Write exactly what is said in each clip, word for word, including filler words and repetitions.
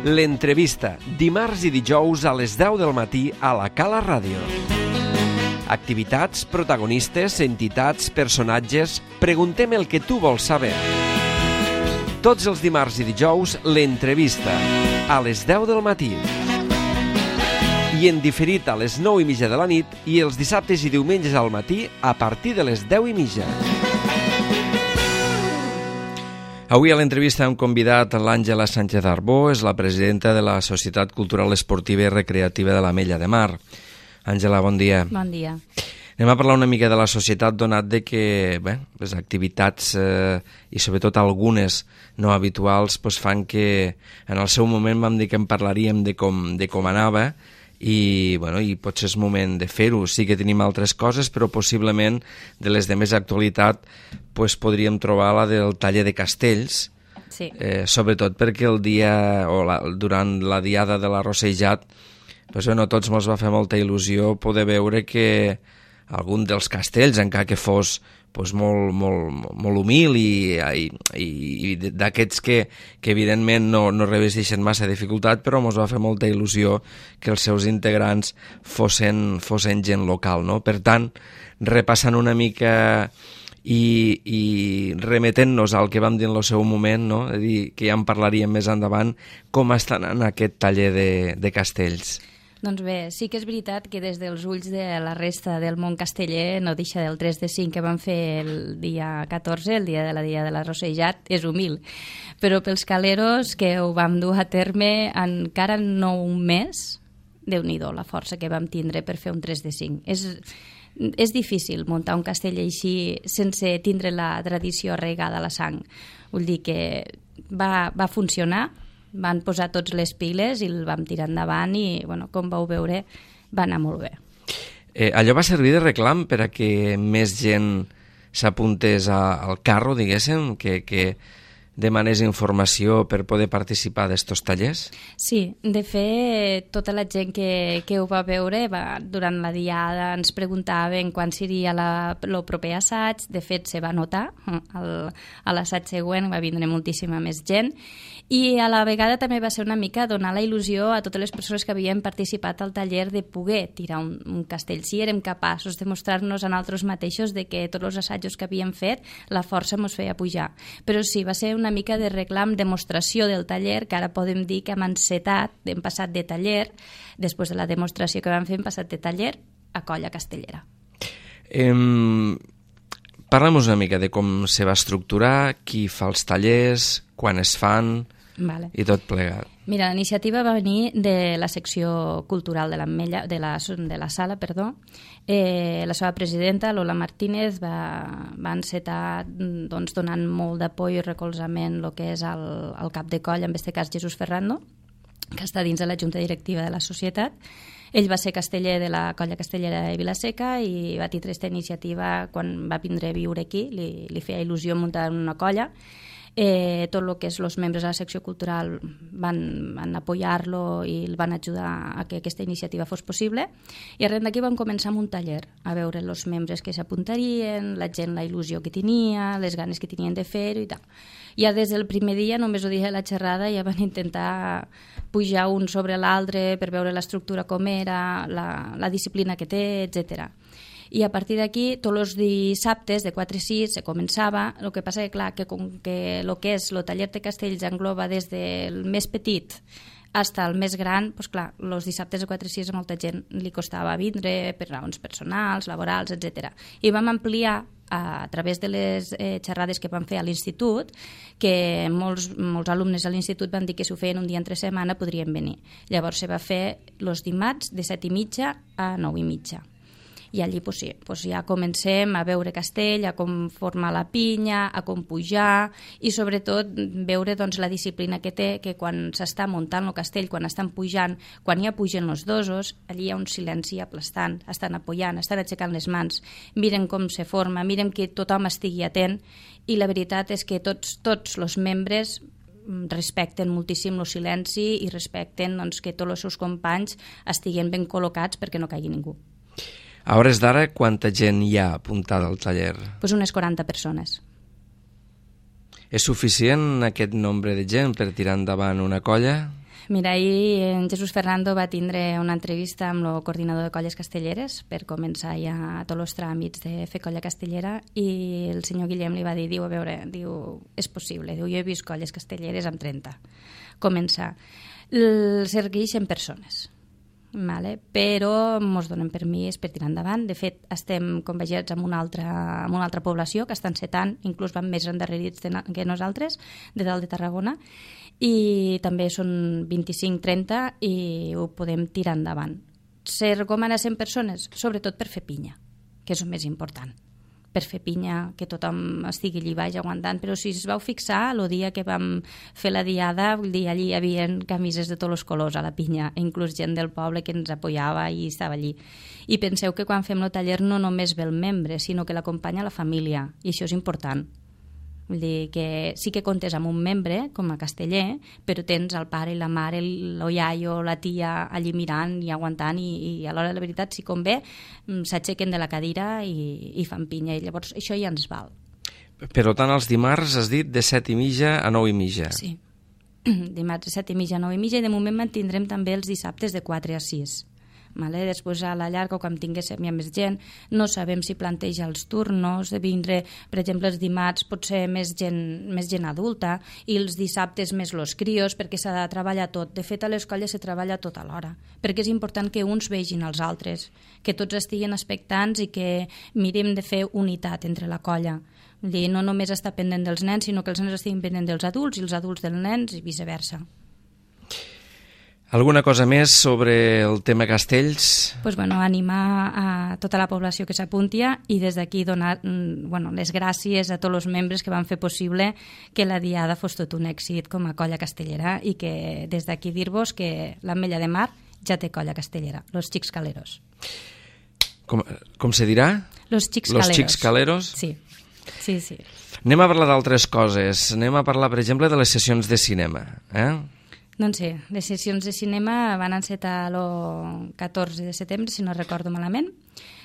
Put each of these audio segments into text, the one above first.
L'entrevista, dimarts i dijous a les deu del matí a la Cala Ràdio. Activitats, protagonistes, entitats, personatges... Preguntem el que tu vols saber. Tots els dimarts i dijous, l'entrevista, a les deu del matí. I en diferit a les nou i mitja de la nit i els dissabtes i diumenges al matí a partir de les deu i mitja. Avui a l'entrevista hem convidat l'Àngela Sánchez Arbó, és la presidenta de la Societat Cultural Esportiva i Recreativa de l'Ametlla de Mar. Àngela, bon dia. Bon dia. Anem a parlar una mica de la societat, donat de que bé, les activitats eh, i sobretot algunes no habituals pues, fan que en el seu moment vam dir que en parlaríem de com, de com anava i, bueno, i potser és moment de fer-ho. Sí que tenim altres coses, però possiblement de les de més actualitat pues, podríem trobar la del taller de castells, sí. eh, sobretot perquè el dia o la, durant la diada de l'arrossejat pues, bueno, tots ens va fer molta il·lusió poder veure que algun dels castells, encara que fos pues, molt, molt, molt humil i, i, i d'aquests que, que evidentment no, no revesteixen massa dificultat, però ens va fer molta il·lusió que els seus integrants fossin, fossin gent local, no? Per tant, repassant una mica i, i remetent-nos al que vam dir en el seu moment, no? És a dir, que ja en parlaríem més endavant, com està anant aquest taller de, de castells? Doncs bé, sí que és veritat que des dels ulls de la resta del món casteller no deixa del tres de cinc que van fer el dia catorze, el dia de la dia de l'arrossejat, és humil. Però pels caleros que ho vam dur a terme encara no un mes, Déu-n'hi-do la força que vam tindre per fer un tres de cinc. És, és difícil muntar un castell així sense tindre la tradició arraigada a la sang. Vull dir que va, va funcionar, van posar tots les piles i el vam tirar endavant i, bueno, com vau veure, va anar molt bé. Eh, allò va servir de reclam per a que més gent s'apuntés al carro, diguéssim, que, que demanés informació per poder participar d'estos tallers? Sí, de fet, tota la gent que, que ho va veure va, durant la diada ens preguntaven quan seria la, el proper assaig. De fet, se va notar. El, a l'assaig següent va vindre moltíssima més gent i a la vegada també va ser una mica donar la il·lusió a totes les persones que havien participat al taller de poder tirar un, un castell. Si érem capaços de mostrar-nos a nosaltres mateixos de que tots els assajos que havíem fet la força ens feia pujar. Però sí, va ser una mica de reclam, demostració del taller, que ara podem dir que hem encetat, hem passat de taller, després de la demostració que vam fer, hem passat de taller a colla castellera. Eh, Parlem-nos una mica de com se va estructurar, qui fa els tallers, quan es fan, vale. I tot plegat. Mira, la iniciativa va venir de la secció cultural de l'Ametlla, de la, de la sala, perdó. Eh, la seva presidenta, Lola Martínez, va, va encetar doncs, donant molt d'apoyo i recolzament el que és el, el cap de colla, en aquest cas Jesús Ferrando, que està dins de la junta directiva de la societat. Ell va ser casteller de la colla castellera de Vilaseca i va tindre aquesta iniciativa quan va vindre a viure aquí, li, li feia il·lusió muntar una colla. Eh, tot el que és els membres de la secció cultural van, van apoyar-lo i el van ajudar a que aquesta iniciativa fos possible i arran d'aquí vam començar amb un taller a veure els membres que s'apuntarien, la gent la il·lusió que tenia, les ganes que tenien de fer-ho i tal. Ja des del primer dia, només ho dije a la xerrada, ja van intentar pujar un sobre l'altre per veure l'estructura com era, la, la disciplina que té, etcètera. I a partir d'aquí, tots els dissabtes de quatre a sis se començava, el que passa que, clar, que com que el que és el taller de castells engloba des del més petit fins al més gran, doncs clar, els dissabtes de quatre a sis a molta gent li costava vindre per raons personals, laborals, etcètera. I vam ampliar a través de les eh, xerrades que vam fer a l'institut, que molts, molts alumnes a l'institut van dir que si ho feien un dia entre setmana podrien venir. Llavors se va fer els dimarts de set i mitja a nou i mitja. I allí pues, sí, pues ja comencem a veure castell, a com formar la pinya, a com pujar i sobretot veure doncs, la disciplina que té, que quan s'està muntant el castell, quan estan pujant, quan ja pugen els dosos, allí hi ha un silenci aplastant, estan apoyant, estan aixecant les mans, miren com se forma, miren que tothom estigui atent i la veritat és que tots, tots els membres respecten moltíssim el silenci i respecten doncs, que tots els seus companys estiguen ben col·locats perquè no caigui ningú. A hores d'ara, quanta gent hi ha apuntada al taller? Pues unes quaranta persones. És suficient aquest nombre de gent per tirar endavant una colla? Mira, ahir en Jesús Fernando va tindre una entrevista amb el coordinador de colles castelleres per començar ja tots els tràmits de fer colla castellera i el senyor Guillem li va dir, diu, a veure, diu, és possible, diu, jo he vist colles castelleres amb trenta. Començar. Segueixen persones, vale? Però ens donen permís per tirar endavant. De fet, estem convegiats amb una altra, amb una altra població que estan setant, inclús van més endarrerits que nosaltres, de dalt de Tarragona, i també són vint-i-cinc trenta i ho podem tirar endavant. Se recomana cent persones, sobretot per fer pinya, que és el més important. Per fer pinya, que tothom estigui allí baix aguantant, però si es vau fixar, el dia que vam fer la diada, vull dir, allí hi havia camises de tots els colors a la pinya, inclús gent del poble que ens apoyava i estava allí. I penseu que quan fem el taller no només ve el membre, sinó que l'acompanya la família, i això és important. Vull dir que sí que comptes amb un membre, com a casteller, però tens el pare i la mare, el iaio, la tia allí mirant i aguantant i, i a l'hora de la veritat, si convé, s'aixequen de la cadira i, i fan pinya. I llavors això ja ens val. Per tant, els dimarts has dit de set i mitja a nou i mitja. Sí, dimarts de set i mitja a nou i mitja i de moment mantindrem també els dissabtes de quatre a sis. Vale? Després a la llarga, quan tinguéssim ja més gent, no sabem si planteja els turnos de vindre, per exemple, els dimarts pot ser més gent, més gent adulta i els dissabtes més los crios, perquè s'ha de treballar tot. De fet, a les colles se treballa tot alhora, perquè és important que uns vegin els altres, que tots estiguin expectants i que mirem de fer unitat entre la colla. Vull dir, no només estar pendent dels nens, sinó que els nens estiguin pendent dels adults i els adults dels nens i viceversa. Alguna cosa més sobre el tema castells? Pues bueno, animar a tota la població que s'apuntia i des d'aquí donar bueno, les gràcies a tots els membres que van fer possible que la diada fos tot un èxit com a colla castellera i que des d'aquí dir-vos que l'Ametlla de Mar ja té colla castellera, los Xics Caleros. Com, com se dirà? Los Xics los Caleros. Xics Caleros? Sí, sí, sí. Anem a parlar d'altres coses. Anem a parlar, per exemple, de les sessions de cinema. Eh? Doncs sí, les sessions de cinema van encetar el catorze de setembre, si no recordo malament.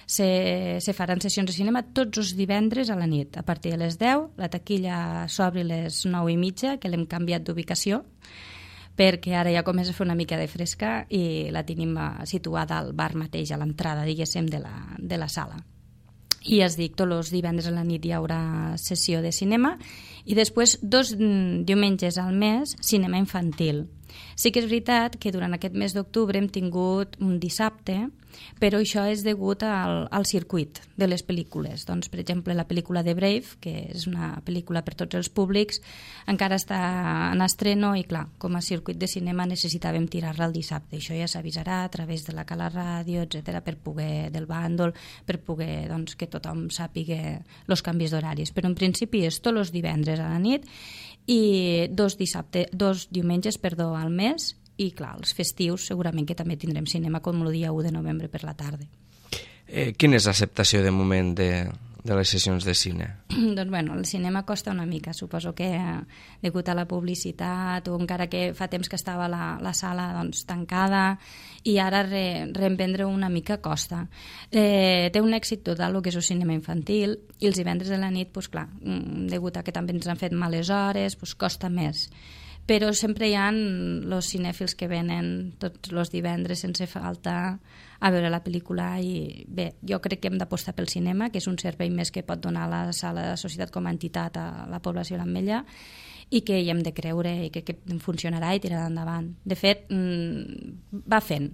Se, se faran sessions de cinema tots els divendres a la nit, a partir de les deu. La taquilla s'obre a les nou i mitja, que l'hem canviat d'ubicació, perquè ara ja comença a fer una mica de fresca i la tenim situada al bar mateix, a l'entrada, diguéssim, de la, de la sala. I es dic, tots els divendres a la nit hi haurà sessió de cinema i després dos diumenges al mes cinema infantil. Sí que és veritat que durant aquest mes d'octubre hem tingut un dissabte, però això és degut al, al circuit de les pel·lícules. Doncs, per exemple, la pel·lícula de Brave, que és una pel·lícula per tots els públics, encara està en estreno i, clar, com a circuit de cinema necessitàvem tirar-la el dissabte. Això ja s'avisarà a través de la Cala Ràdio, etcètera, per poder, del bàndol, per poder doncs, que tothom sàpiga els canvis d'horaris. Però en principi és tots els divendres a la nit i dos, dissabte, dos diumenges perdó, al mes i, clar, els festius segurament que també tindrem cinema com el dia u de novembre per la tarda. Eh, quina és l'acceptació de moment de, de les sessions de cine? Doncs, bueno, el cinema costa una mica. Suposo que eh, degut a la publicitat o encara que fa temps que estava la, la sala doncs, tancada i ara re, reinvendre una mica costa. Eh, té un èxit total el que és el cinema infantil i els divendres de la nit, doncs, clar, degut a que també ens han fet males hores, doncs, costa més. Però sempre hi ha els cinèfils que venen tots els divendres sense falta a veure la pel·lícula i bé, jo crec que hem d'apostar pel cinema, que és un servei més que pot donar la sala de la societat com a entitat a la població de l'Ametlla i que hi hem de creure i que, que funcionarà i tirarà endavant. De fet, va fent.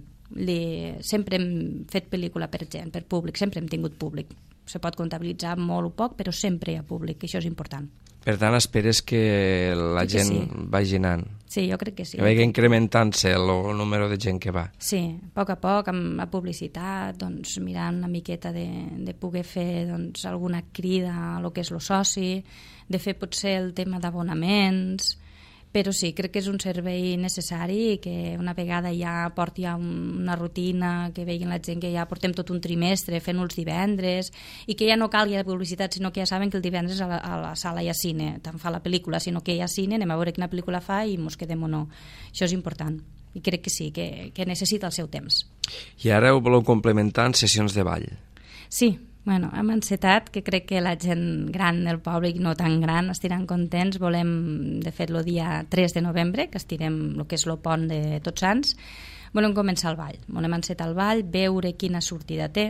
Sempre hem fet pel·lícula per gent, per públic, sempre hem tingut públic. Se pot comptabilitzar molt o poc, però sempre hi ha públic, i això és important. Per tant, esperes que la que gent sí. vagi anant? Sí, jo crec que sí. Que vagi incrementant-se el, el número de gent que va? Sí, a poc a poc, amb la publicitat, doncs, mirant una miqueta de, de poder fer doncs, alguna crida a lo que és el soci, de fer potser el tema d'abonaments, però sí, crec que és un servei necessari i que una vegada ja porti ja una rutina, que vegin la gent que ja portem tot un trimestre fent els divendres i que ja no calgui la publicitat, sinó que ja saben que el divendres a la, a la sala hi ha cine, tant fa la pel·lícula, sinó que hi ha cine, anem a veure quina pel·lícula fa i mos quedem o no. Això és important i crec que sí, que, que necessita el seu temps. I ara ho voleu complementar en sessions de ball? Sí, Bueno, amb ansietat, que crec que la gent gran del poble i no tan gran estiran contents. Volem, de fet, el dia tres de novembre, que estirem el que és el pont de Tots Sants, volem començar el ball. Volem encetar el ball, veure quina sortida té.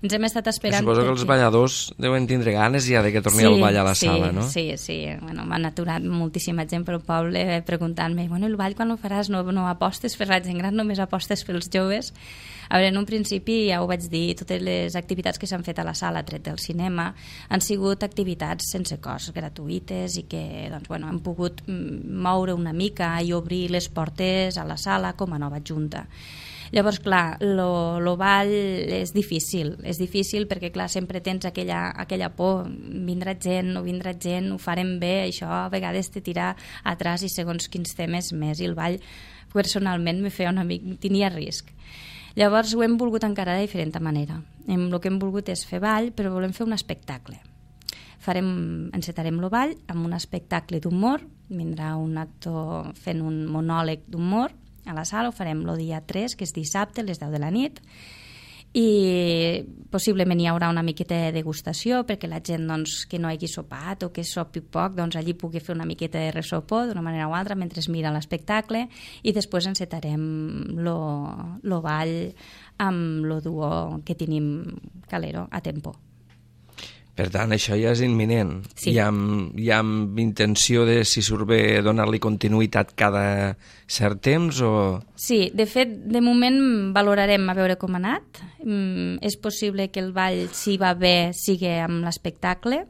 Ens hem estat esperant... Suposo que els balladors deuen tindre ganes ja de que torni sí, el ball a la sí, sala, no? Sí, sí. Bueno, m'han aturat moltíssima gent pel poble preguntant-me, bueno, el ball quan ho faràs? No, no apostes per la gent gran, només apostes pels joves. A veure, en un principi ja ho vaig dir, totes les activitats que s'han fet a la sala, tret del cinema, han sigut activitats sense cost, gratuïtes, i que doncs, bueno, han pogut moure una mica i obrir les portes a la sala com a nova junta. Llavors, clar, lo, lo ball és difícil, és difícil perquè, clar, sempre tens aquella, aquella por, vindrà gent, no vindrà gent, ho farem bé, això a vegades te tira atràs i segons quins temes més, i el ball personalment me feia una mica, tenia risc. Llavors ho hem volgut encarar de diferent manera. El que hem volgut és fer ball, però volem fer un espectacle. Farem, encetarem el ball amb un espectacle d'humor, vindrà un actor fent un monòleg d'humor a la sala, ho farem el dia tres, que és dissabte, a les deu de la nit, i possiblement hi haurà una miqueta de degustació perquè la gent doncs, que no hagi sopat o que sopi poc, doncs allí pugui fer una miqueta de resopó d'una manera o altra mentre es mira l'espectacle, i després encetarem el ball amb el duo que tenim Calero a tempo. Per tant, això ja és imminent. Sí. Hi ha, hi ha intenció de, si surt bé, donar-li continuïtat cada cert temps o... Sí, de fet, de moment valorarem a veure com ha anat. Mm, és possible que el ball, si va bé, sigui amb l'espectacle.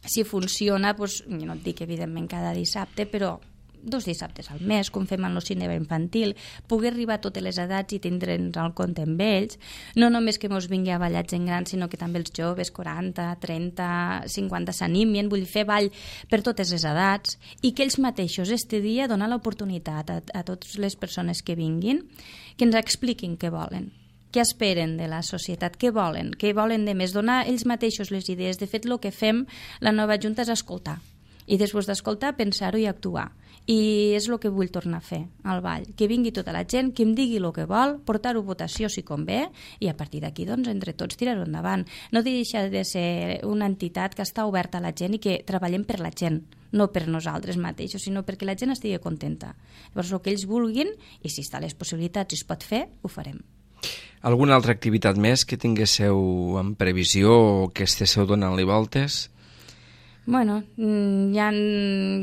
Si funciona, doncs, jo no et dic evidentment cada dissabte, però dos dissabtes al mes, com fem en el cinema infantil, poder arribar a totes les edats i tindre'ns el compte amb ells, no només que mos vingui a ballar gent gran, sinó que també els joves, quaranta, trenta, cinquanta, s'animin, vull fer ball per totes les edats, i que ells mateixos este dia donar l'oportunitat a, a totes les persones que vinguin, que ens expliquin què volen, què esperen de la societat, què volen, què volen de més, donar ells mateixos les idees. De fet, el que fem la nova junta és escoltar, i després d'escoltar, pensar-ho i actuar. I és el que vull tornar a fer al ball, que vingui tota la gent, que em digui el que vol, portar-ho a votació si convé, i a partir d'aquí, doncs, entre tots tirar-ho endavant. No deixa de ser una entitat que està oberta a la gent i que treballem per la gent, no per nosaltres mateixos, sinó perquè la gent estigui contenta. Llavors, el que ells vulguin, i si està a les possibilitats i es pot fer, ho farem. Alguna altra activitat més que tinguéssiu en previsió o que estéssiu donant-li voltes? Bueno, hi ha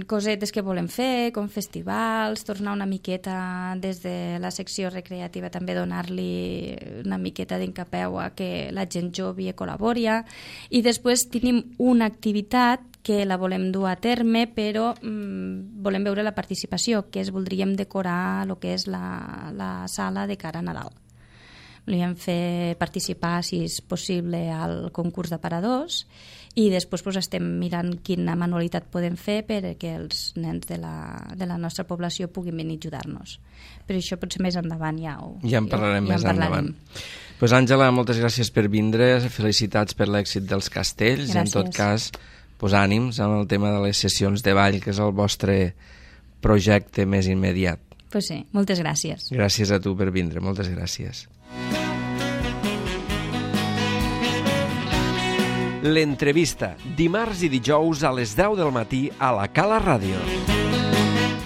cosetes que volem fer, com festivals, tornar una miqueta des de la secció recreativa, també donar-li una miqueta d'encapeu a que la gent jove col·labori, i després tenim una activitat que la volem dur a terme, però mm, volem veure la participació, que és voldríem decorar el que és la, la sala de cara a Nadal. Volíem fer participar, si és possible, al concurs d'aparadors, i després doncs, estem mirant quina manualitat podem fer perquè els nens de la, de la nostra població puguin venir a ajudar-nos. Però això potser més endavant ja ho... Ja en parlarem ja, més ja en parlarem. endavant. Pues, Àngela, moltes gràcies per vindre, felicitats per l'èxit dels castells, gràcies. I en tot cas, pues, ànims amb el tema de les sessions de ball, que és el vostre projecte més immediat. Pues sí, moltes gràcies. Gràcies a tu per vindre, moltes gràcies. L'entrevista, dimarts i dijous a les deu del matí a la Cala Ràdio.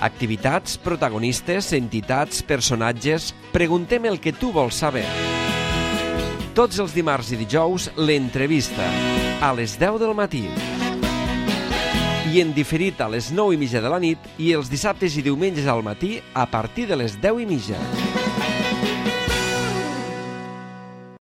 Activitats, protagonistes, entitats, personatges... Preguntem el que tu vols saber. Tots els dimarts i dijous, l'entrevista, a les deu del matí. I en diferit a les nou i mitja de la nit i els dissabtes i diumenges al matí a partir de les deu i mitja.